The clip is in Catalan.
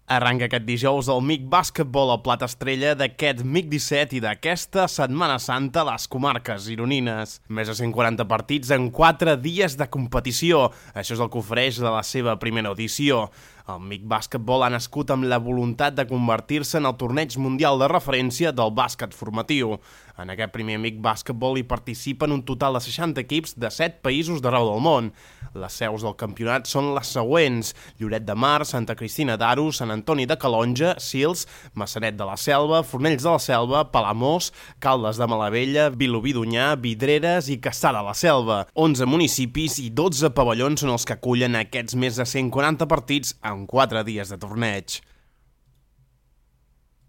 Arranca aquest dijous el MIC Bàsquetbol, el plat estrella d'aquest MIC 17 i d'aquesta Setmana Santa a les comarques gironines. Més de 140 partits en 4 dies de competició. Això és el que ofereix de la seva primera edició. El MIC Bàsquetbol ha nascut amb la voluntat de convertir-se en el torneig mundial de referència del bàsquet formatiu. En aquest primer MIC Bàsquetbol hi participen un total de 60 equips de 7 països d'arreu del món. Les seus del campionat són les següents: Lloret de Mar, Santa Cristina d'Aro, Sant Antoni de Calonge, Sils, Maçanet de la Selva, Fornells de la Selva, Palamós, Caldes de Malavella, Vilobí d'Onyar, Vidreres i Cassà de la Selva. 11 municipis i 12 pavellons són els que acullen aquests més de 140 partits en 4 dies de torneig.